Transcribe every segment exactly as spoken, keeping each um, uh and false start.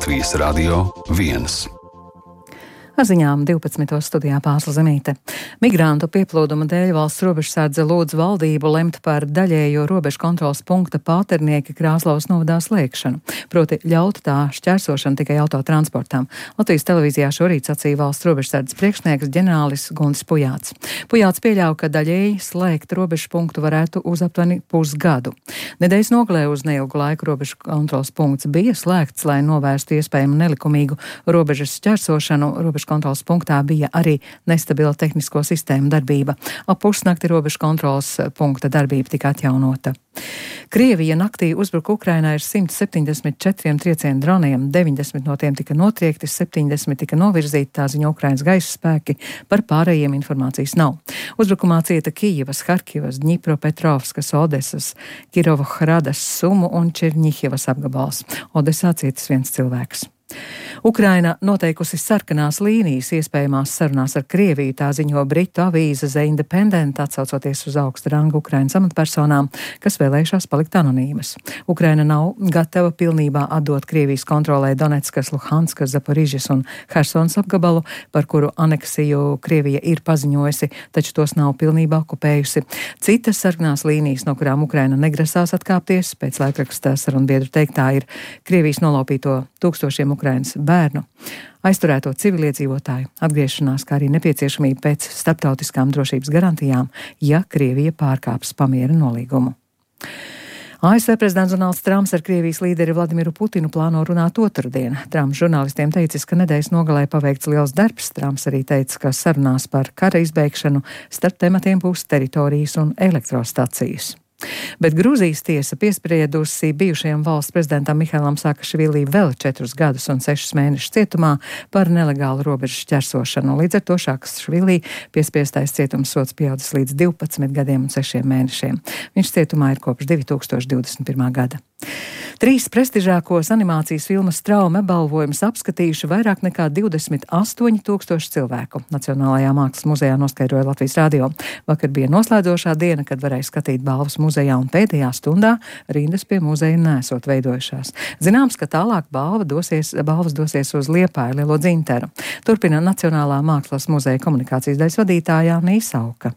Latvijas Radio viens. Ar ziņām divpadsmitos studijā Pāsla Zemīte. Migrantu pieplūduma dēļ valsts robežsardze lūdz valdību lemt par daļējo robežu kontroles punkta Pāternieka Krāslavas novadā slēgšanu, proti ļaut tā šķērsošanu tikai autotransportām. Latvijas televīzijā šorīt sacīja valsts robežsardzes priekšnieks ģenerālis Guntis Pujāts. Pujāts pieļauj, ka daļēji slēgt robežu punktu varētu uz aptuveni pusgadu. Nedēļas nogalē uz neilgu laiku robežu kontroles punkts bija slēgts, lai novērstu iespējamu nelikumīgu robežas šķērsošanu. Robežu kontroles punktā bija arī nestabila tehnisko sistēmu darbība. Ap pusnakti robežu kontroles punkta darbība tika atjaunota. Krievija naktī uzbruka Ukrainai ar simt septiņdesmit četriem triecienu droniem, deviņdesmit no tiem tika notriekti, septiņdesmit tika novirzīti, tā ziņo Ukrainas gaisa spēki, par pārējiem informācijas nav. Uzbrukumā cieta Kijivas, Harkivas, Dņipropetrovskas, Odesas, Kirovohradas, Sumu un Čerņihivas apgabals. Odesā cietis viens cilvēks. Ukraina noteikusi sarkanās līnijas iespējamās sarunās ar Krieviju, tā ziņo britu avīze The Independent, atsaucoties uz augsta ranga Ukrainas amatpersonām, kas vēlējušās palikt anonīmas. Ukraina nav gatava pilnībā atdot Krievijas kontrolē Donetskas, Luhanskas, Zaporižas un Hersons apgabalu, par kuru aneksiju Krievija ir paziņojusi, taču tos nav pilnībā okupējusi. Citas sarkanās līnijas, no kurām Ukraina negrasās atkāpties, pēc laikraksta sarunbiedru teiktā, ir Krievijas nolaupīto tūkstošiem Ukrainas bērnu, aizturēto civiliedzīvotāju atgriešanās, kā arī nepieciešamība pēc starptautiskām drošības garantijām, ja Krievija pārkāps pamiera nolīgumu. A S V prezidents Donalds Trumps ar Krievijas līderi Vladimiru Putinu plāno runāt otrdien. Trumps žurnālistiem teicis, ka nedēļas nogalē paveikts liels darbs. Trumps arī teica, ka sarunās par kara izbeigšanu starp tematiem būs teritorijas un elektrostacijas. Bet Grūzijas tiesa piespriedusi bijušajam valsts prezidentam Mihailam Saakašvili vēl četrus gadus un sešus mēnešus cietumā par nelegālu robežu šķērsošanu. Līdz ar to Saakašvili piespiestais cietumsods pieaudzis līdz divpadsmit gadiem un sešiem mēnešiem. Viņš cietumā ir kopš divi tūkstoši divdesmit pirmā gada. Trīs prestižākos animācijas filmas Trauma balvojumus apskatījuši vairāk nekā divdesmit astoņi tūkstoši cilvēku. Nacionālajā mākslas muzejā noskaidroja Latvijas radio. Vakar bija noslēdzošā diena, kad varēja skatīt balvas muzejā, un pēdējā stundā rindas pie muzeja nesot veidojušās. Zināms, ka tālāk balva dosies, balvas dosies uz Liepāju Lielo Dzintaru. Turpina Nacionālā mākslas muzeja komunikācijas daļas vadītājā Nīsa Auka.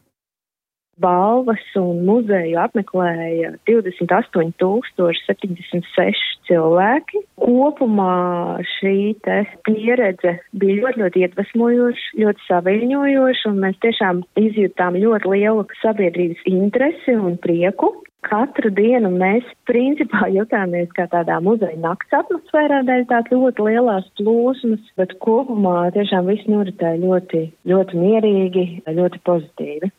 Balvas un muzeju apmeklēja divdesmit astoņi tūkstoši septiņdesmit seši cilvēki. Kopumā šī te pieredze bija ļoti, ļoti iedvesmojoša, ļoti saviļņojoša, un mēs tiešām izjūtām ļoti lielu sabiedrības interesi un prieku. Katru dienu mēs principā jutāmies kā tādā muzeja nakts atmosfērā, dēļ tās ļoti lielās plūsmas, bet kopumā tiešām viss noritēja ļoti, ļoti mierīgi, ļoti pozitīvi.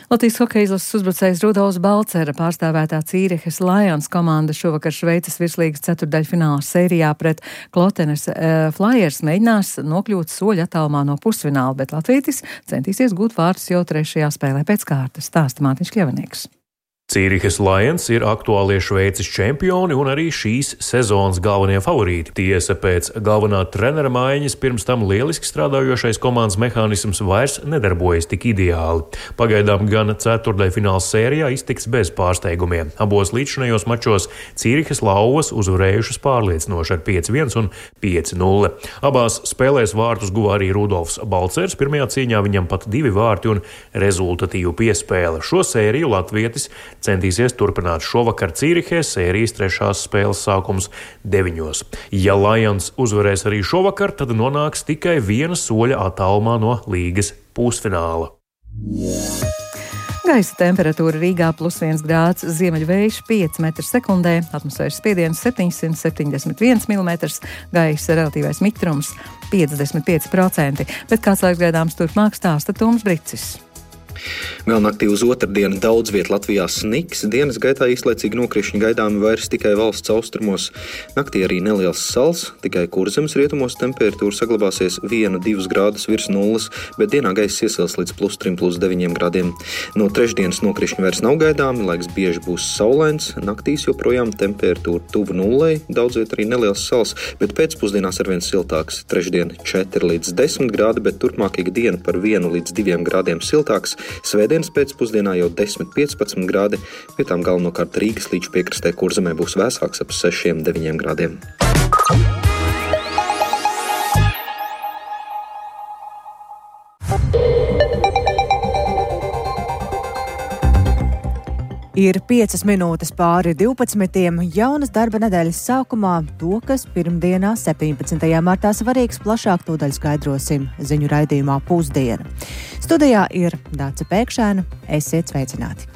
Latvijas hokeja izlases uzbrucējs Rudolfs Balcera pārstāvētā Cīrihas Lions komanda šovakar Šveices virslīgas ceturtdaļfināla sērijā pret Klotenes uh, Flyers mēģinās nokļūt soļu attālumā no pusfināla, bet latvietis centīsies gūt vārdus jau trešajā spēlē pēc kārtas, stāsta Mārtiņš Kļavinieks. Cīrihas Lions ir aktuālie Šveices čempioni un arī šīs sezonas galvenie favorīti. Tiesa, pēc galvenā trenera maiņas pirms tam lieliski strādājošais komandas mehānisms vairs nedarbojas tik ideāli. Pagaidām gan ceturtdaļfināla sērijā iztiks bez pārsteigumiem. Abos līdzšinējos mačos Cīrihas lauvas uzvarējušas pārliecinoši ar pieci viens un pieci nulle. Abās spēlēs vārtus guva arī Rudolfs Balcers. Pirmajā cīņā viņam pat divi vārti un rezultatīvu piespēle. Šo sēriju latvietis centīsies turpināt šovakar Cīrihē, sērijas trešās spēles sākums deviņos. Ja Lions uzvarēs arī šovakar, tad nonāks tikai viena soļa attālumā no līgas pusfināla. Gaisa temperatūra Rīgā plus viens grāds, ziemeļvējš pieci metri sekundē, atmosfēras spiediens septiņsimt septiņdesmit viens milimetrs, gaisa relatīvais mitrums piecdesmit pieci procenti, bet kāds laiks gaidāms turpmāk stāsta Tums Bricis. Vēl naktī uz otrdienu daudz viet Latvijā sniks, dienas gaitā īslaicīgi nokrišņi gaidāmi vairs tikai valsts austrumos. Naktī arī neliels sals, tikai Kurzemes rietumos temperatūra saglabāsies viens divus grādus virs nulles, bet dienā gaiss iesils līdz plus trim, plus deviņiem grādiem. No trešdienas nokrišņi vairs nav gaidāmi, laiks bieži būs saulains, naktīs joprojām temperatūra tuvu nullei, daudz viet arī neliels sals, bet pēcpusdienās arvien siltāks. Trešdien četri līdz desmit grādi, bet turpmāk ikdiena par vienu līdz diviem grādiem siltāks. Svētdienas pēcpusdienā jau desmit piecpadsmit grādi, vietām galvenokārt Rīgas līča piekrastē Kurzemē būs vēsāks ap sešiem deviņiem grādiem. Ir piecas minūtes pāri divpadsmitiem jaunas darba nedēļas sākumā, to, kas pirmdienā, septiņpadsmitajā martā svarīgs, plašāk tūdaļ skaidrosim ziņu raidījumā Pusdiena. Studijā ir Dāce Pēkšēna, esiet sveicināti.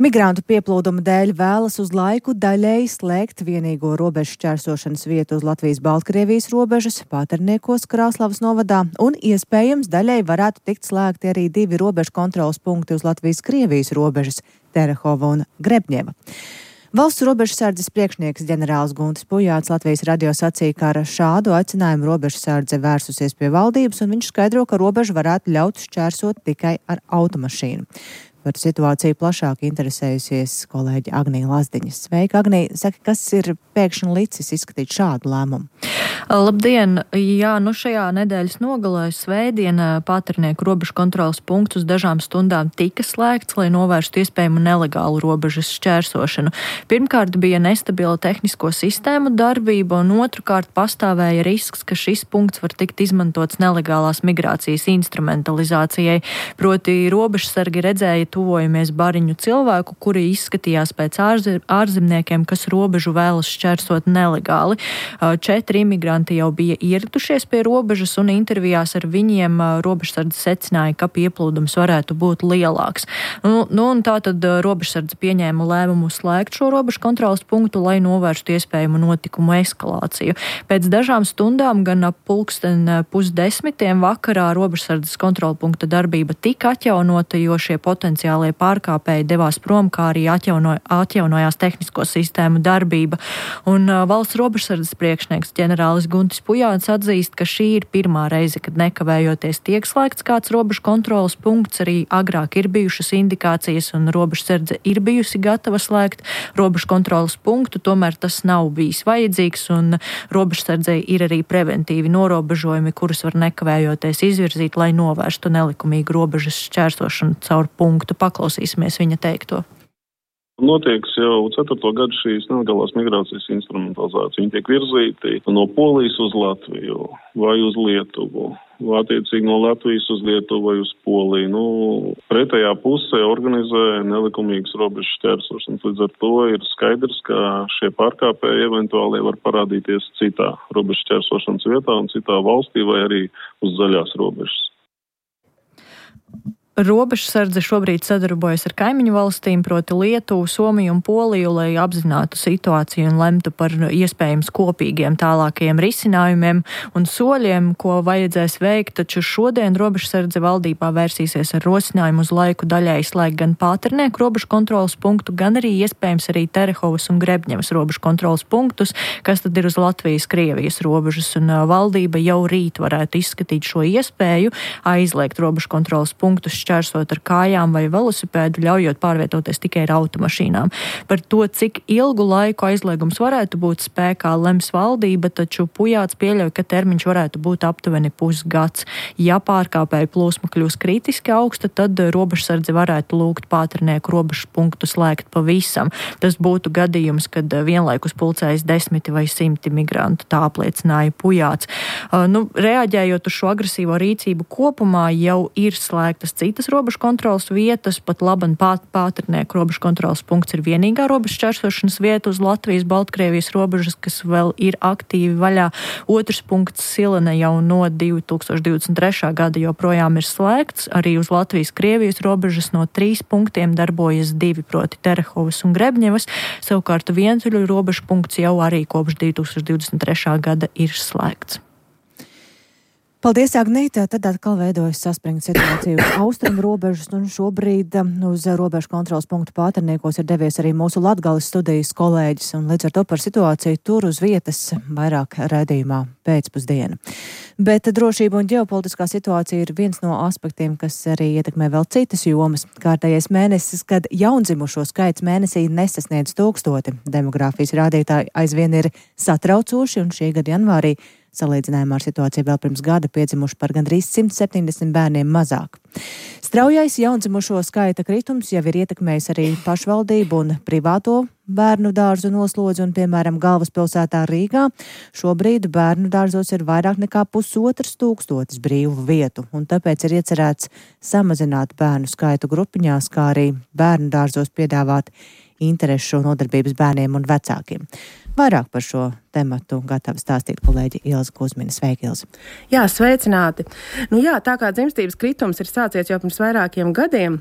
Migrantu pieplūduma dēļ vēlas uz laiku daļēji slēgt vienīgo robežu šķērsošanas vietu uz Latvijas-Baltkrievijas robežas, Pāterniekos Krāslavas novadā, un iespējams daļēji varētu tikt slēgti arī divi robežu kontrolas punkti uz Latvijas-Krievijas robežas, Terehova un Grebņeva. Valsts robežsardzes priekšnieks ģenerālis Guntis Pujāts Latvijas radio sacīja, ka ar šādu aicinājumu robežsardze vērsusies pie valdības, un viņš skaidro, ka robežu varētu ļaut šķērsot tikai ar automašīnu. Par situāciju plašāk interesējusies kolēģi Agnija Lazdiņa. Sveika, Agnija. Saka, kas ir pēkšņi licis izskatīt šādu lēmumu? Labdien! Jā, nu šajā nedēļas nogalē svētdienā Pāternieku robežu kontrolas punkts uz dažām stundām tika slēgts, lai novērstu iespējamu nelegālu robežas šķērsošanu. Pirmkārt bija nestabila tehnisko sistēmu darbība, un otrkārt pastāvēja risks, ka šis punkts var tikt izmantots nelegālās migrācijas instrumentalizācijai. Proti robežsargi redzēja tuvojamies bariņu cilvēku, kuri izskatījās pēc ārzemniekiem, kas robežu vēlas šķērsot nelegāli. Četri imigranti jau bija ieradušies pie robežas, un intervijās ar viņiem robežsardze secināja, ka pieplūdums varētu būt lielāks. Nu, nu un tā tad robežsardze pieņēma lēmumu slēgt šo robežu kontrolas punktu, lai novērstu iespējamu notikumu eskalāciju. Pēc dažām stundām, gan ap pulksten pusdesmitiem vakarā, robežsardzes kontrola punkta darbība tika atjaunota, jo šie potenciāli pārkāpēji devās prom, kā arī atjauno, atjaunojās tehnisko sistēmu darbība. Un uh, valsts robežsardzes priekšnieks ģenerālis Guntis Pujāts atzīst, ka šī ir pirmā reize, kad nekavējoties tiek slēgts kāds robežu kontrolas punkts. Arī agrāk ir bijušas indikācijas, un robežsardze ir bijusi gatava slēgt robežu kontrolas punktu, tomēr tas nav bijis vajadzīgs, un robežsardzei ir arī preventīvi norobežojumi, kurus var nekavējoties izvirzīt, lai novērstu nelikumīgu robežas šķērsošanu caur punktu. Paklausīsimies viņa teikto. Notiek jau ceturto gadu šīs nelegālās migrācijas instrumentalizācija. Viņi tiek virzīti no Polijas uz Latviju vai uz Lietuvu, vai attiecīgi no Latvijas uz Lietuvu vai uz Poliju. Nu, pretējā pusē organizē nelikumīgas robežu šķērsošanas. Līdz ar to ir skaidrs, ka šie pārkāpēji eventuāli var parādīties citā robežu šķērsošanas vietā un citā valstī vai arī uz zaļās robežas. Robežsardze šobrīd sadarbojas ar kaimiņu valstīm, proti Lietuvu, Somiju un Poliju, lai apzinātu situāciju un lemtu par iespējams kopīgiem tālākajiem risinājumiem un soļiem, ko vajadzēs veikt, taču šodien robežsardze valdībā vērsīsies ar rosinājumu uz laiku daļēji slēgt gan Pāternieku robežu kontrolas punktu, gan arī iespējams arī Terehovas un Grebņevas robežu kontrolas punktus, kas tad ir uz Latvijas-Krievijas robežas, un valdība jau rīt varētu izskatīt šo iespēju aizliegt robežu kontrolas punktus šķērsot ar kājām vai velosipēdu, ļaujot pārvietoties tikai ar automašīnām. Par to, cik ilgu laiku aizliegums varētu būt spēkā, lems valdība, taču Pujāts pieļauj, ka termiņš varētu būt aptuveni pusgads. Ja pārkāpēju plūsma kļūs kritiski augsta, tad robežsardze varētu lūgt Pāternieku robežu punktu slēgt pavisam. Tas būtu gadījums, kad vienlaikus pulcējas desmiti vai simti migrantu, tā apliecināja Pujāts. Uh, nu, reaģējot uz šo agresīvo rīcību kopumā, jau ir slēgtas citas citas robežu kontrolas vietas, pat laban pāt, Pāternieku robežu kontrolas punkts ir vienīgā robežu šķērsošanas vieta uz Latvijas-Baltkrievijas robežas, kas vēl ir aktīvi vaļā. Otrs punkts Silene jau no divi tūkstoši divdesmit trešā gada joprojām ir slēgts. Arī uz Latvijas-Krievijas robežas no trīs punktiem darbojas divi, proti Terehovas un Grebņevas. Savukārt vientuļu robežu punkts jau arī kopš divi tūkstoši divdesmit trešā gada ir slēgts. Paldies, Agnīte. Tad atkal veidojas saspringta situācija uz austrumu robežas, un šobrīd uz robežu kontrolas punktu Pāterniekos ir devies arī mūsu Latgales studijas kolēģis, un līdz ar to par situāciju tur uz vietas vairāk raidījumā pēcpusdiena. Bet drošība un ģeopolitiskā situācija ir viens no aspektiem, kas arī ietekmē vēl citas jomas. Kārtējais mēnesis, kad jaundzimušo skaits mēnesī nesasniedz tūkstoti. Demogrāfijas rādītāji aizvien ir satraucoši, un šī gada janvārī Salīdzinājumā ar situāciju vēl pirms gada piedzimuši par gandrīz simt septiņdesmit bērniem mazāk. Straujais jaundzimušo skaita kritums jau ir ietekmējis arī pašvaldību un privāto bērnu dārzu noslodzi, un, piemēram, galvaspilsētā Rīgā šobrīd bērnu dārzos ir vairāk nekā pusotrs tūkstotis brīvu vietu, un tāpēc ir iecerēts samazināt bērnu skaitu grupiņās, kā arī bērnu dārzos piedāvāt interešu nodarbības bērniem un vecākiem. Vairāk par šo tematu gatava stāstīt kolēģi Ilze Kuzmina. Sveiki, Ilze! Jā, sveicināti! Nu jā, tā kā dzimstības kritums ir sācies jau pirms vairākiem gadiem,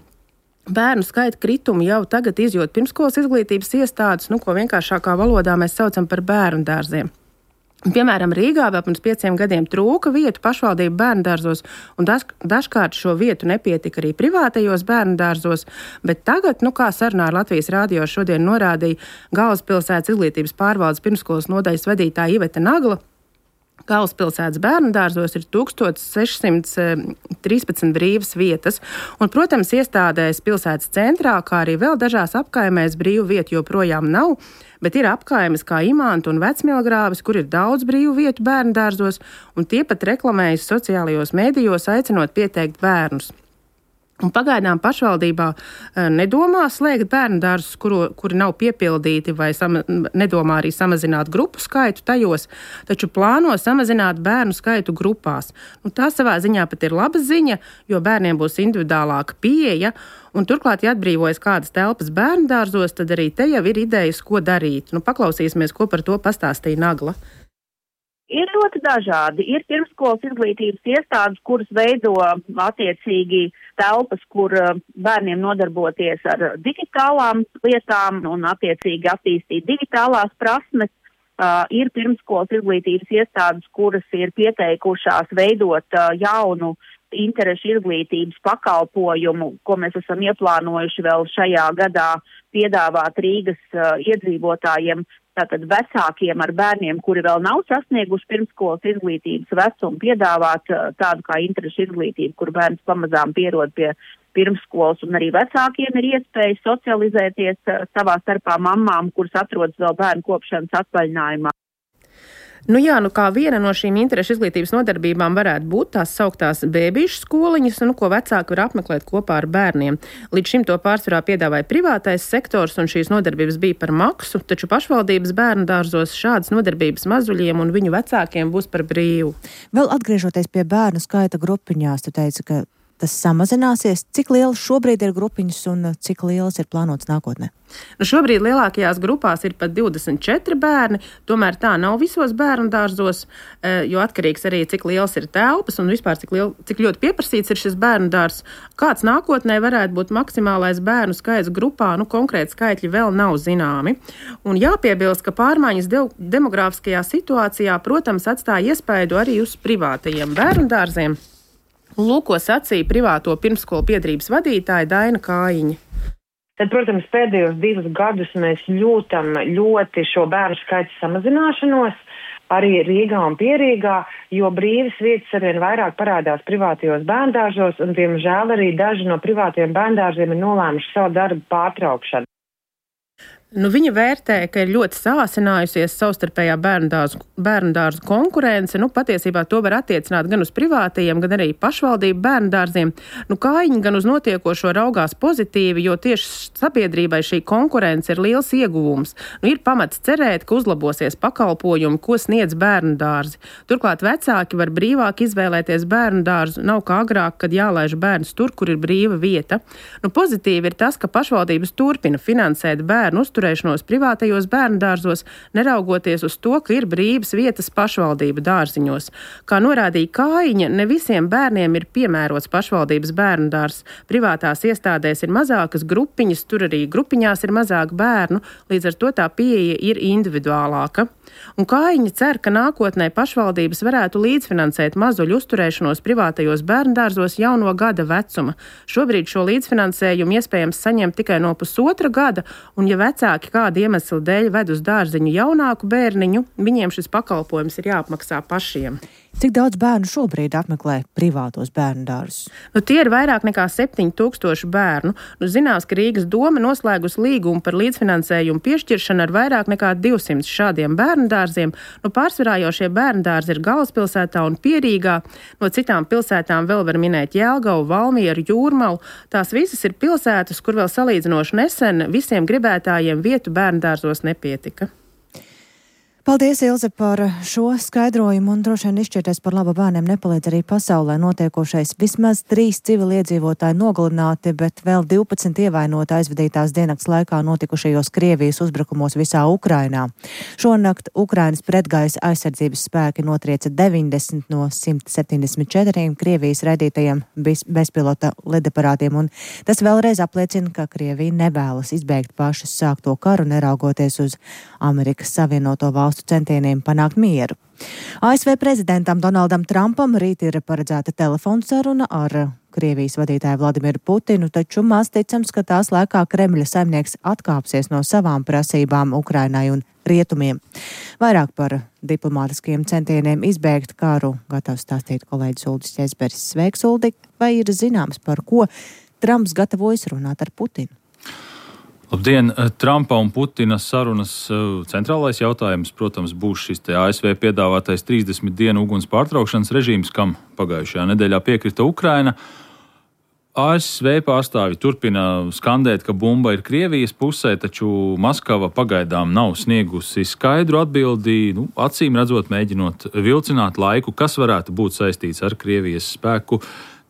bērnu skaita kritumu jau tagad izjūt pirmskolas izglītības iestādes, nu, ko vienkāršākā valodā mēs saucam par bērnu dārziem. Piemēram, Rīgā vēl pirms pieciem gadiem trūka vietu pašvaldību bērnu dārzos, un daž, dažkārt šo vietu nepietika arī privātajos bērnu dārzos, bet tagad, nu kā sarunā ar Latvijas rādio šodien norādīja Galvaspilsētas izglītības pārvaldes pirmskolas nodaļas vadītāja Iveta Nagla, Galvaspilsētas bērnu dārzos ir tukstot sešsimt trīspadsmit brīvas vietas, un, protams, iestādēs pilsētas centrā, kā arī vēl dažās apkaimēs brīvu vietu joprojām nav, bet ir apkaimes kā Imanta un Vecmilgrāvis, kur ir daudz brīvu vietu bērnu dārzos, un tie pat reklamējas sociālajos mēdījos, aicinot pieteikt bērnus. Un pagaidām pašvaldībā nedomā slēgt bērnu dārzus, kuru, kuri nav piepildīti, vai sama, nedomā arī samazināt grupu skaitu tajos, taču plāno samazināt bērnu skaitu grupās. Nu, tā savā ziņā pat ir laba ziņa, jo bērniem būs individuālāka pieeja, un turklāt, ja atbrīvojas kādas telpas bērnu dārzos, tad arī te jau ir idejas, ko darīt. Nu, paklausīsimies, ko par to pastāstīja Nagla. Ir ļoti dažādi. Ir pirmskolas izglītības iestādes, kuras veido attiecīgi telpas, kur bērniem nodarboties ar digitālām lietām un attiecīgi attīstīt digitālās prasmes. Uh, ir pirmskolas izglītības iestādes, kuras ir pieteikušās veidot uh, jaunu interešu izglītības pakalpojumu, ko mēs esam ieplānojuši vēl šajā gadā piedāvāt Rīgas uh, iedzīvotājiem, tātad vecākiem ar bērniem, kuri vēl nav sasnieguši pirmskolas izglītības vecumu, piedāvāt uh, tādu kā interešu izglītību, kur bērns pamazām pierod pie pirmskolas, un arī vecākiem ir iespēja socializēties uh, savā starpā mammām, kuras atrodas vēl bērnu kopšanas atvaļinājumā. Nu jā, nu kā viena no šīm interešu izglītības nodarbībām varētu būt tās sauktās bēbīšu skoliņas, nu, ko vecāki var apmeklēt kopā ar bērniem. Līdz šim to pārsvarā piedāvāja privātais sektors, un šīs nodarbības bija par maksu, taču pašvaldības bērnu dārzos šādas nodarbības mazuļiem un viņu vecākiem būs par brīvu. Vēl atgriežoties pie bērnu skaita grupiņās, tu teici, ka tas samazināsies. Cik lielas šobrīd ir grupiņas un cik lielas ir plānotas nākotnē? Nu šobrīd lielākajās grupās ir pat divdesmit četri bērni, tomēr tā nav visos bērnu dārzos, jo atkarīgs arī cik liels ir telpas un vispār cik, liel, cik ļoti pieprasīts ir šis bērnu dārzs. Kāds nākotnē varētu būt maksimālais bērnu skaits grupā, nu konkrēti skaitļi vēl nav zināmi. Un jāpiebilst, ka pārmaiņas de- demogrāfiskajā situācijā, protams, atstāja iespaidu arī uz privātajiem bērnu dārziem. Lūko sacīja privāto pirmskolu biedrības vadītāja Daina Kājiņa. Tad, protams, pēdējos divus gadus mēs jūtam ļoti šo bērnu skaitu samazināšanos, arī Rīgā un Pierīgā, jo brīvas vietas arvien vairāk parādās privātajos bērndārzos, un, diemžēl, arī daži no privātajiem bērndārziem ir nolēmuši savu darbu pārtraukšanu. Nu, viņa vērtē, ka ir ļoti sāsinājusies savstarpējā bērndārzu, bērndārzu konkurence. Nu, patiesībā to var attiecināt gan uz privātajiem, gan arī pašvaldību bērndārziem. Nu, Kājiņa gan uz notiekošo raugās pozitīvi, jo tieši sabiedrībai šī konkurence ir liels ieguvums. Nu, ir pamats cerēt, ka uzlabosies pakalpojumi, ko sniedz bērndārzi. Turklāt vecāki var brīvāk izvēlēties bērndārzu, nav kā agrāk, kad jālaiž bērns tur, kur ir brīva vieta. Nu, pozitīvi ir tas, ka pašvaldības turpina finansēt bērnu uzturēšanu privātajos bērndārzos, neraugoties uz to, ka ir brīvas vietas pašvaldību dārziņos. Kā norādīja Kājiņa, ne visiem bērniem ir piemērots pašvaldības bērndārzs. Privātās iestādēs ir mazākas grupiņas, tur arī grupiņās ir mazāk bērnu, līdz ar to tā pieeja ir individuālāka. Un Kājiņa cer, ka nākotnē pašvaldības varētu līdzfinansēt mazuļu uzturēšanos privātajos bērndārzos jau no gada vecuma. Šobrīd šo līdzfinansējumu iespējams saņemt tikai no pusotra gada, un ja vecāki kāda iemesla dēļ ved uz dārziņu jaunāku bērniņu, viņiem šis pakalpojums ir jāapmaksā pašiem. Cik daudz bērnu šobrīd apmeklē privātos bērnu dārzus? Nu, tie ir vairāk nekā septiņi tūkstoši bērnu. Nu, zināms, ka Rīgas doma noslēgus līgumu par līdzfinansējumu piešķiršanu ar vairāk nekā divsimt šādiem bērnu dārziem. Nu, pārsvarā jau šie bērnu dārzi ir Galvaspilsētā un Pierīgā. No citām pilsētām vēl var minēt Jelgavu, Valmieru, Jūrmalu. Tās visas ir pilsētas, kur vēl salīdzinoši nesen visiem gribētājiem vietu bērnu dārzos nepietika. Paldies, Ilze, par šo skaidrojumu un droši vien izšķirties par labu bērniem nepalīdz arī pasaulē notiekošais. Vismaz trīs civiliedzīvotāji nogalināti, bet vēl divpadsmit ievainoti aizvadītās diennakts laikā notikušajos Krievijas uzbrukumos visā Ukrainā. Šonakt Ukrainas pretgaisa aizsardzības spēki notrieca deviņdesmit no simt septiņdesmit četriem Krievijas raidītajiem bezpilota lidaparātiem, un tas vēlreiz apliecina, ka Krievija nevēlas izbeigt pašas sākto karu, neraugoties uz Amerikas Savienoto valstu centieniem panākt mieru. A S V prezidentam Donaldam Trumpam rīt ir paredzēta telefona saruna ar Krievijas vadītāju Vladimiru Putinu, taču maz ticams, ka tās laikā Kremļa saimnieks atkāpsies no savām prasībām Ukrainai un rietumiem. Vairāk par diplomātiskiem centieniem izbēgt karu gatavs stāstīt kolēģis Uldis Ķezberis. Sveiks, Uldi! Vai ir zināms, par ko Trumps gatavojas runāt ar Putinu? Labdien! Trumpa un Putina sarunas centrālais jautājums, protams, būs šis te A S V piedāvātais trīsdesmit dienu uguns pārtraukšanas režīms, kam pagājušajā nedēļā piekrita Ukraina. A S V pārstāvi turpina skandēt, ka bumba ir Krievijas pusē, taču Maskava pagaidām nav sniegusi skaidru atbildi, nu, acīm redzot mēģinot vilcināt laiku, kas varētu būt saistīts ar Krievijas spēku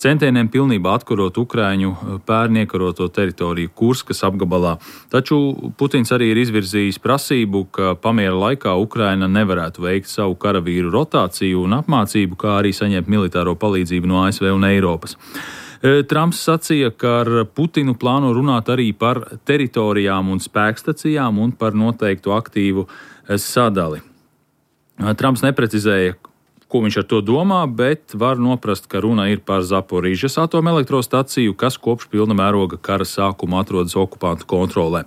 centieniem pilnībā atkarot Ukraiņu pērn iekaroto teritoriju Kurskas apgabalā. Taču Putins arī ir izvirzījis prasību, ka pamiera laikā Ukraina nevarētu veikt savu karavīru rotāciju un apmācību, kā arī saņemt militāro palīdzību no A S V un Eiropas. Trumps sacīja, ka ar Putinu plāno runāt arī par teritorijām un spēkstacijām un par noteiktu aktīvu sadali. Trumps neprecizēja, ko viņš ar to domā, bet var noprast, ka runa ir par Zaporižas atomelektrostaciju, kas kopš pilna mēroga kara sākuma atrodas okupantu kontrolē.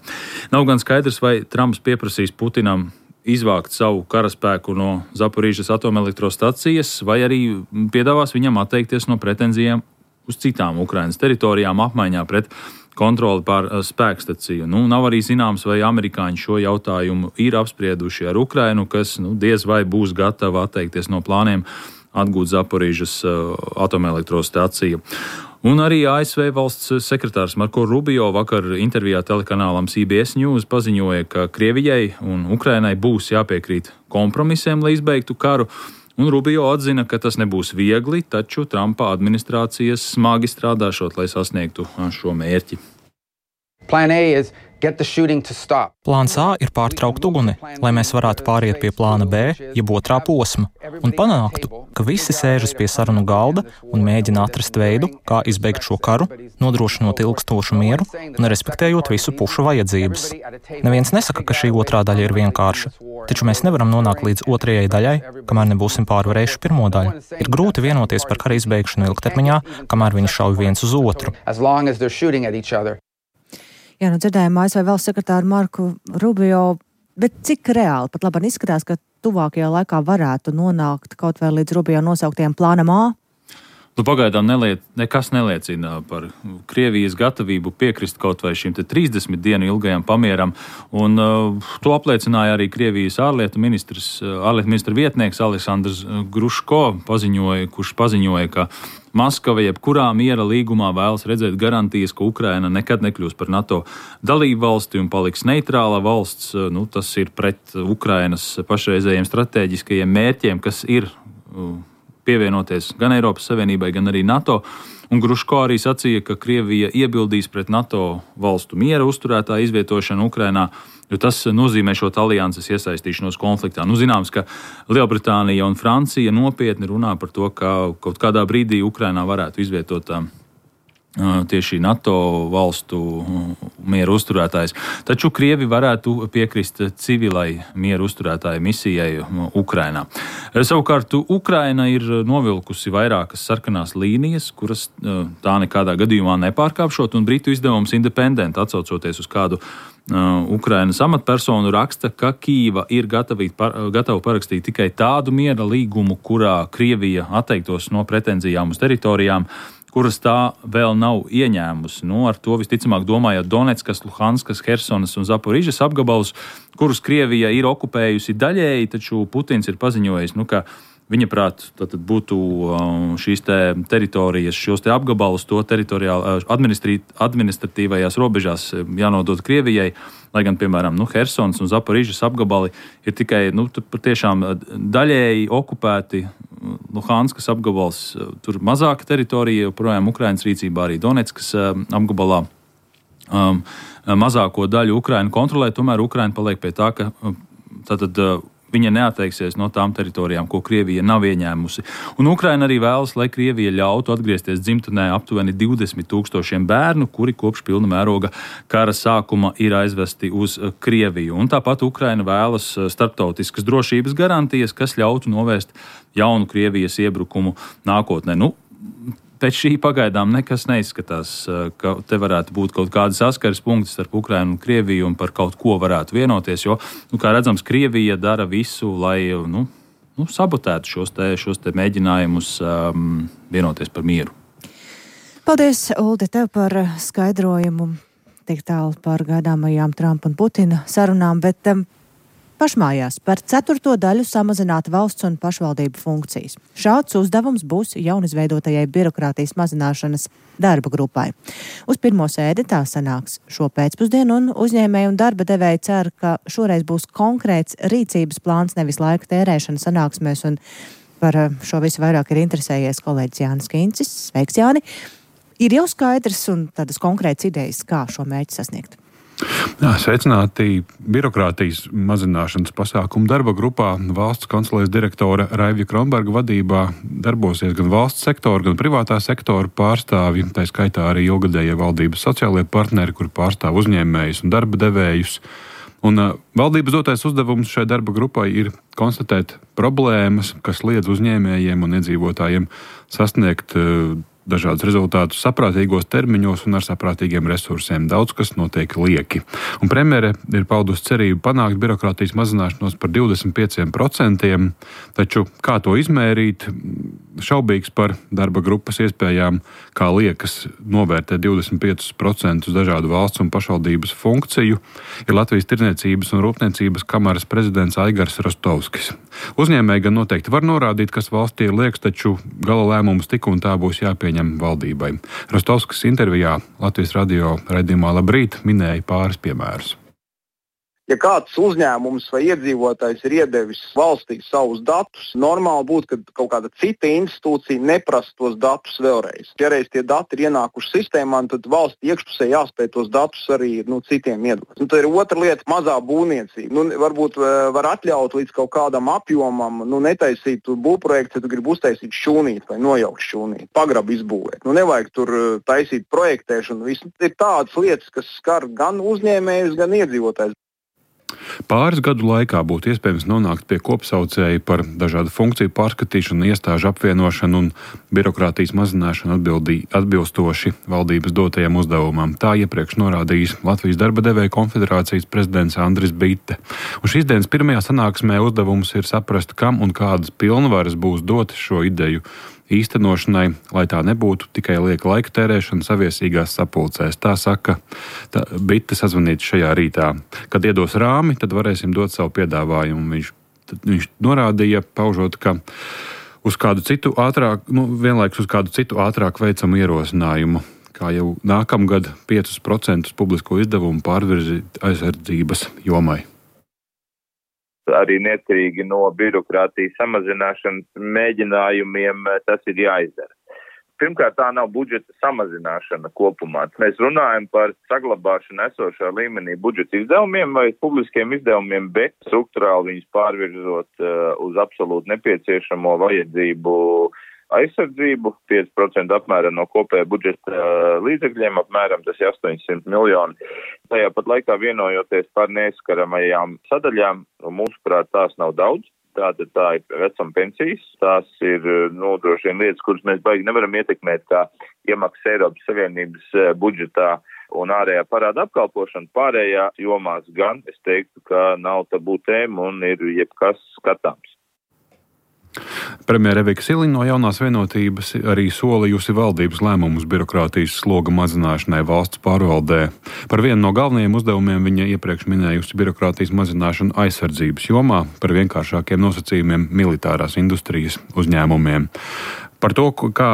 Nav gan skaidrs, vai Trumps pieprasīs Putinam izvākt savu karaspēku no Zaporižas atomelektrostacijas, vai arī piedāvās viņam atteikties no pretenzijām uz citām Ukrainas teritorijām apmaiņā pret kontroli pār spēkstaciju. Nu, nav arī zināms, vai amerikāņi šo jautājumu ir apsprieduši ar Ukrainu, kas nu, diez vai būs gatava atteikties no plāniem atgūt Zaporižas atomelektrostaciju. Un arī A S V valsts sekretārs Marko Rubio vakar intervijā telekanālam C B S News paziņoja, ka Krievijai un Ukrainai būs jāpiekrīt kompromisiem, lai izbeigtu karu. Un Rubio atzina, ka tas nebūs viegli, taču Trumpa administrācijas smagi strādāšot, lai sasniegtu šo mērķi. Plāns A ir pārtraukt uguni, lai mēs varētu pāriet pie plāna B, jeb otrā posma, un panāktu, ka visi sēžas pie sarunu galda un mēģina atrast veidu, kā izbeigt šo karu, nodrošinot ilgstošu mieru un respektējot visu pušu vajadzības. Neviens nesaka, ka šī otrā daļa ir vienkārša, taču mēs nevaram nonākt līdz otrajai daļai, kamēr nebūsim pārvarējuši pirmo daļu. Ir grūti vienoties par kara izbeigšanu ilgtermiņā, kamēr viņi šauj viens uz otru. Jā, nu dzirdējām A S V valsts sekretāru Marku Rubio, bet cik reāli pat labāk izskatās, ka tuvākajā laikā varētu nonākt kaut vai līdz Rubio nosauktiem plānam A? Nu, pagaidām neliet, nekas neliecina par Krievijas gatavību piekrist kaut vai šim te trīsdesmit dienu ilgajam pamieram, un uh, to apliecināja arī Krievijas ārlietu ministrs, ārlietu ministra vietnieks Aleksandrs Gruško, paziņoja, kurš paziņoja, ka Maskava jebkurā miera līgumā vēlas redzēt garantijas, ka Ukraina nekad nekļūs par NATO dalību valsti un paliks neitrāla valsts. Nu, tas ir pret Ukrainas pašreizējiem strateģiskajiem mērķiem, kas ir uh, pievienoties gan Eiropas Savienībai, gan arī NATO. Un Gruško arī sacīja, ka Krievija iebildīs pret NATO valstu miera uzturētāju izvietošanu Ukrainā, jo tas nozīmē šo alianses iesaistīšanos konfliktā. Nu, zināms, ka Lielbritānija un Francija nopietni runā par to, ka kaut kādā brīdī Ukrainā varētu izvietot tieši NATO valstu mieru uzturētājs. Taču Krievi varētu piekrist civilai mieru uzturētāju misijai Ukrainā. Savukārt Ukraina ir novilkusi vairākas sarkanās līnijas, kuras tā nekādā gadījumā nepārkāpšot, un britu izdevums Independent, atsaucoties uz kādu Ukrainas amatpersonu raksta, ka Kīva ir gatava parakstīt tikai tādu miera līgumu, kurā Krievija atteiktos no pretenzijām uz teritorijām, kuras tā vēl nav ieņēmusi. Nu, ar to visticamāk domājot Donetskas, Luhanskas, Hersonas un Zaporižas apgabalus, kurus Krievija ir okupējusi daļēji, taču Putins ir paziņojis, nu, ka viņa prāt tātad būtu šīs te teritorijas, šos te apgabalus to teritoriāli administratīvajās robežās jānodod Krievijai, lai gan, piemēram, nu, Hersonas un Zaporižas apgabali ir tikai, nu, patiešām daļēji okupēti. Luhanskas apgabals, tur mazāka teritorija, joprojām Ukrainas rīcībā, arī Donetskas apgabalā um, mazāko daļu Ukraina kontrolē, tomēr Ukraina paliek pie tā, ka tātad viņa neatteiksies no tām teritorijām, ko Krievija nav ieņēmusi. Un Ukraina arī vēlas, lai Krievija ļautu atgriezties dzimtenē aptuveni divdesmit tūkstošiem bērnu, kuri kopš pilna mēroga kara sākuma ir aizvesti uz Krieviju. Un tāpat Ukraina vēlas starptautiskas drošības garantijas, kas ļautu novērst jaunu Krievijas iebrukumu nākotnē. Nu, pēc šī pagaidām nekas neizskatās, ka te varētu būt kaut kādi saskares punkti starp Ukrainu un Krieviju un par kaut ko varētu vienoties, jo, nu, kā redzams, Krievija dara visu, lai nu, nu, sabotētu šos te, šos te mēģinājumus um, vienoties par mieru. Paldies, Uldi, tev par skaidrojumu tik tālu par gaidāmajām Trumpa un Putina sarunām, bet um, pašmājās par ceturto daļu samazināt valsts un pašvaldību funkcijas. Šāds uzdevums būs jaunizveidotajai birokrātijas mazināšanas darba grupai. Uz pirmo sēdi tā sanāks šo pēcpusdienu, un uzņēmēji un darba devēji cer, ka šoreiz būs konkrēts rīcības plāns, nevis laika tērēšana sanāksmēs, un par šo visu vairāk ir interesējies kolēģis Jānis Kīncis. Sveiks, Jāni! Ir jau skaidrs un tādas konkrētas idejas, kā šo mērķi sasniegt. Jā, sveicināti birokrātijas mazināšanas pasākumu darba grupā. Valsts kancelēs direktora Raivja Kronberga vadībā darbosies gan valsts sektora, gan privātā sektora pārstāvji, tā skaitā arī ilgadējie valdības sociālie partneri, kuri pārstāv uzņēmējus un darba devējus. Un uh, valdības dotais uzdevums šai darba grupai ir konstatēt problēmas, kas liedz uzņēmējiem un iedzīvotājiem sasniegt uh, dažādus rezultātus saprātīgos termiņos un ar saprātīgiem resursiem. Daudz kas notiek lieki. Un premjere ir paudusi cerību panākt birokrātijas mazināšanos par divdesmit pieciem procentiem, taču kā to izmērīt, šaubīgs par darba grupas iespējām, kā liekas novērtēt divdesmit piecus procentus dažādu valsts un pašvaldības funkciju, ir Latvijas Tirdzniecības un Rūpniecības kameras prezidents Aigars Rostovskis. Uzņēmēji gan noteikti var norādīt, kas valstī ir lieks, taču gala lēmums tik un tā būs jāpieņem valdībai. Rostovskis intervijā Latvijas radio raidījumā Labrīt minēja pāris piemērus. Ja kāds uzņēmums vai iedzīvotājs ir iedevis valstī savus datus, normāli būtu, ka kaut kāda cita institūcija neprasa tos datus vēlreiz. Ja reiz tie dati ir ienākuši sistēmā, tad valsts iekšpusē jāspēj tos datus arī nu, citiem iedot. Nu, tā ir otra lieta - mazā būvniecība. Nu, varbūt var atļaut līdz kaut kādam apjomam, nu, netaisīt būvprojektu, ja tu gribi uztaisīt šūnīt vai nojaukt šūnīt, pagrabu izbūvēt. Nu, nevajag tur taisīt projektēšanu. Viss ir tādas lietas, kas skar gan uzņēmējus, gan iedzīvotājus. Pāris gadu laikā būtu iespējams nonākt pie kopsaucēja par dažādu funkciju pārskatīšanu, iestāžu apvienošanu un birokrātijas mazināšanu atbildī, atbilstoši valdības dotajam uzdevumam. Tā iepriekš norādījis Latvijas darba devēju konfederācijas prezidents Andris Bitte. Un šīs dienas pirmajā sanāksmē uzdevums ir saprast, kam un kādas pilnvaras būs dotas šo ideju īstenošanai, lai tā nebūtu tikai lieka laika tērēšana saviesīgās sapulcēs. Tā saka tā, Bitte sazvanīt šajā rītā. Kad iedos rāmi, tad varēsim dot savu piedāvājumu. Viņš, viņš norādīja, paužot, ka uz kādu citu ātrāk, nu, vienlaikus uz kādu citu ātrāk veicamu ierosinājumu, kā jau nākamgad piecus procentus publisko izdevumu pārvirzīt aizsardzības jomai. Arī neatkarīgi no birokrātijas samazināšanas mēģinājumiem tas ir jāizdara. Pirmkārt, tā nav budžeta samazināšana kopumā. Mēs runājam par saglabāšanu esošā līmenī budžeta izdevumiem vai publiskiem izdevumiem, bet struktūrāli viņus pārvirzot uh, uz absolūti nepieciešamo vajadzību aizsardzību, pieci procenti apmēram no kopējā budžeta līdzekļiem, apmēram tas ir astoņsimt miljoni. Tajā pat laikā vienojoties par neaizskaramajām sadaļām, mūsuprāt, tās nav daudz. Tātad tā ir vecuma pensijas, tās ir, nu, droši vien lietas, kuras mēs baigi nevaram ietekmēt, kā iemaksas Eiropas Savienības budžetā un ārējā parāda apkalpošana pārējās jomās gan, es teiktu, ka nav tabū tēma un ir jebkas skatāms. Premjere Evika Siliņa no Jaunās vienotības arī solījusi valdības lēmumus birokrātijas sloga mazināšanai valsts pārvaldē. Par vienu no galvenajiem uzdevumiem viņa iepriekš minējusi birokrātijas mazināšanu aizsardzības jomā, par vienkāršākiem nosacījumiem militārās industrijas uzņēmumiem. Par to, kā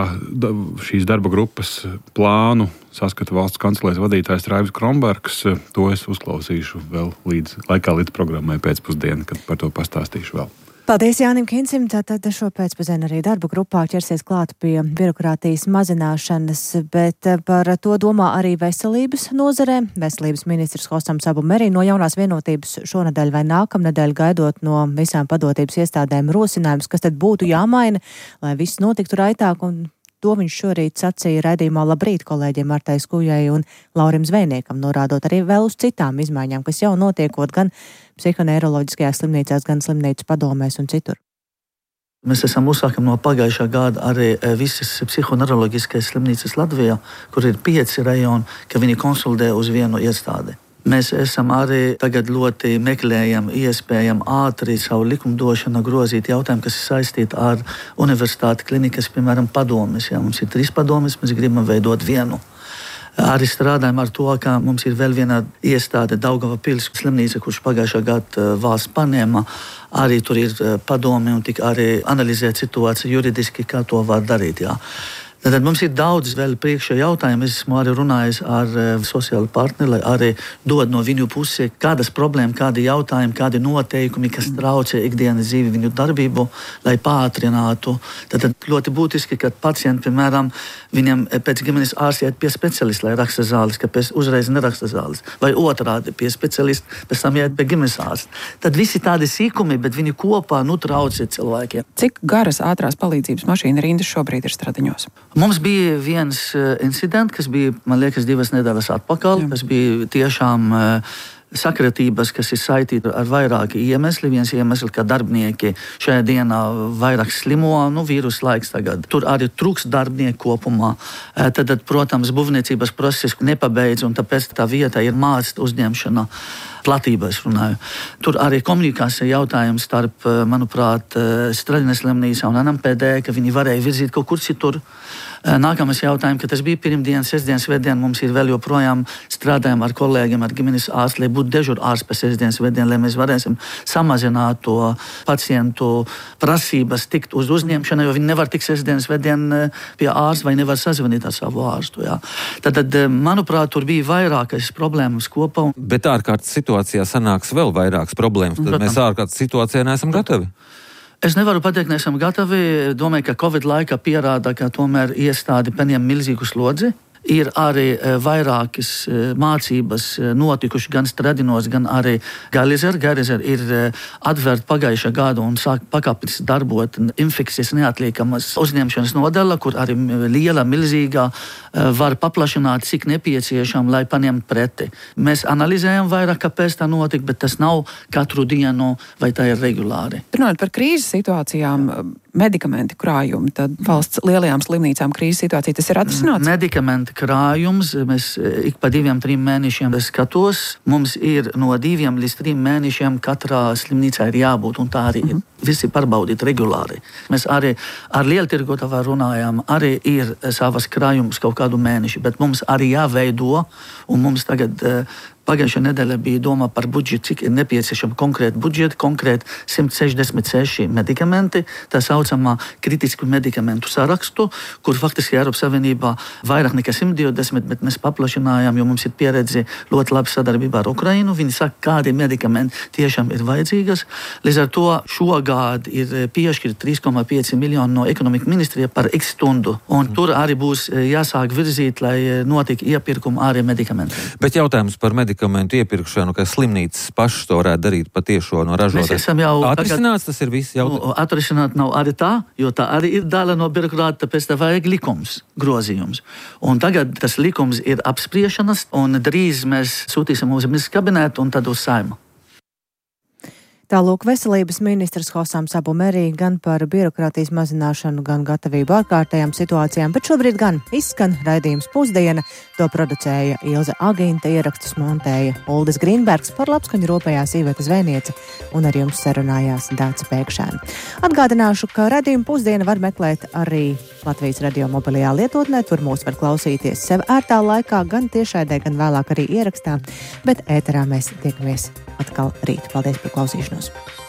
šīs darba grupas plānu saskata valsts kancelēs vadītājs Raivs Kronbergs, to es uzklausīšu vēl līdz laikā līdz programmai pēcpusdienu, kad par to pastāstīšu vēl. Paldies Jānim Kincim, tātad šo pēcpusdienu arī darba grupā ķersies klāt pie birokrātijas mazināšanas, bet par to domā arī veselības nozarē. Veselības ministrs Hosams Abu Merī no Jaunās vienotības šonedēļ vai nākamnedēļ gaidot no visām padotības iestādēm rosinājums, kas tad būtu jāmaina, lai viss notiktu raitāk, un to viņš šorīt sacīja raidījumā Labrīt kolēģiem Martai Skujai un Laurim Zvejniekam, norādot arī vēl uz citām izmaiņām, kas jau notiekot gan psihoneiroloģiskajās slimnīcās, gan slimnīcu padomēs un citur. Mēs esam uzsākam no pagājušā gada arī visas psihoneiroloģiskās slimnīcas Latvijā, kur ir pieci rajoni, ka viņi konsolidē uz vienu iestādi. Mēs esam arī tagad ļoti meklējam, iespējam ātri savu likumdošanu grozīt jautājumu, kas ir saistīti ar universitāti klinikas, piemēram, padomes. Ja mums ir trīs padomes, mēs gribam veidot vienu. Arī strādājam ar to, ka mums ir vēl viena iestāde Daugavpils slimnīca, kurš pagājušā gada valsts paņēma. Arī tur ir padome un tik arī analizēt situāciju juridiski, kā to var darīt. Jā. Tad mums ir daudz vēl priekšā jautājumu. Es esmu arī runājis ar uh, sociālu partneri, lai arī dod no viņu pusi, kādas problēmas, kādi jautājumi, kādi noteikumi, kas traucē ikdienas dzīvi viņu darbību, lai pātrinātu. Tad ļoti būtiski, ka pacienti, piemēram, viņam pēc ģimenes ārsta iet pie specialista, lai raksta zāles, kāpēc uzreiz neraksta zāles, vai otrādi pie specialista, pēc tam iet pie ģimenes ārsta. Tad visi tādi sīkumi, bet viņi kopā nu traucē cilvēkiem. Cik garas ātrās palīdzības mašīna rindas šobrīd ir Stradiņos? Mums bija viens uh, incidents, kas bija, man liekas, divas nedēļas atpakaļ. Tas bija tiešām uh, sakritības, kas ir saistīti ar vairāki iemesli. Viens iemesls, ka darbinieki šajā dienā vairāk slimo, nu, vīrusu laiks tagad. Tur arī trūks darbinieku kopumā. Uh, tad, protams, būvniecības process nepabeidz, un tāpēc tā vieta ir mācīt uzņemšana. Platībā es runāju. Tur arī komunikācija jautājums starp, manuprāt, Stradiņas slimnīcā un N M P D, ka viņi varēja virzīt kaut kur citur. Nākamais jautājums, ka tas bija pirmdien, sestdien, svētdien, mums ir vēl joprojām strādājam ar kolēģiem, ar ģimenes ārstu, lai būtu dežūra ārsts pēc sestdien, svētdien, lai mēs varēsim samazināt to pacientu prasības tikt uz uzņemšanu, jo viņi nevar tikt sestdien, svētdien pie ārsta vai nevar sazvanīt ar savu ārstu. Jā. Tad, manuprāt, tur bija vairākas problēmas kopā. Bet ārkārtas situācijā sanāks vēl vairākas problēmas, tad mēs ārkārtas situācijā neesam gatavi. Es nevaru pateikt, ka neesam gatavi. Domāju, ka Covid laikā pierāda, ka tomēr iestādi paņem milzīgu slodzi. Ir arī vairākas mācības notikuši gan Stradiņos, gan arī Galizer. Galizer ir atvērta pagājušā gada un sāk pakāpeniski darbot infekcijas neatliekamas uzņemšanas nodaļa, kur arī liela, milzīga var paplašināt, cik nepieciešama, lai paņemtu preti. Mēs analizējam vairāk, kāpēc tā notika, bet tas nav katru dienu vai tā ir regulāri. Runājot par krīzes situācijām, medikamenti krājumi, tad valsts lielajām slimnīcām krīzes situācija, tas ir atrisināts? Medikamenti krājums, mēs ik pa diviem, trim mēnešiem skatos, mums ir no diviem līdz trim mēnešiem katrā slimnīcā ir jābūt, un tā arī mm-hmm. visi pārbaudīt regulāri. Mēs arī ar lieltirgotavā runājām, arī ir savas krājumus kaut kādu mēneši, bet mums arī jāveido, un mums tagad pagājušā nedēļa bija doma par budžetu, cik ir nepieciešama konkrēta budžeta, konkrēti simt sešdesmit seši medikamenti, tā saucamā kritisku medikamentu sarakstu, kur faktiski Eiropas Savienībā vairāk nekā simt divdesmit, bet mēs paplašinājām, jo mums ir pieredze ļoti labi sadarbībā ar Ukrainu. Viņi saka, kādi medikamenti tiešām ir vajadzīgas. Līdz ar to šogad ir piešķirt trīs komats pieci miljoni no ekonomika ministrija par X stundu, un mm. tur arī būs jāsāk virzīt, lai notika iepirkuma arī medikamentiem. Bet jautājums par medikamentu iepirkšanu, ka slimnīcas pašas to varētu darīt patiešo no ražotājas. Atrisināts tas ir viss jautājums? Nu, atrisināt nav arī tā, jo tā arī ir daļa no birokrāta, tāpēc tā vajag likums, grozījums. Un tagad tas likums ir apspriešanas, un drīz mēs sūtīsim uz ministru kabinetu un tad uz Saimu. Tālūk veselības ministrs Hosam Sabumerī gan par birokrātijas mazināšanu, gan gatavību ārkārtējām situācijām, bet šobrīd gan izskan raidījums Pusdiena. To producēja Ilze Agīnta, ierakstus montēja Uldis Grīnbergs, par labskaņu rūpējās Iveta Zvēniece un ar jums sarunājās Dāca Pēkšēna. Atgādināšu, ka raidījumu Pusdiena var meklēt arī Latvijas radio mobilajā lietotnē, tur mūs var klausīties sev ērtā laikā, gan tiešraidē, gan vēlāk arī ierakstā, bet ēterā mēs tiekamies atkal rīt. Paldies par klausīšanos!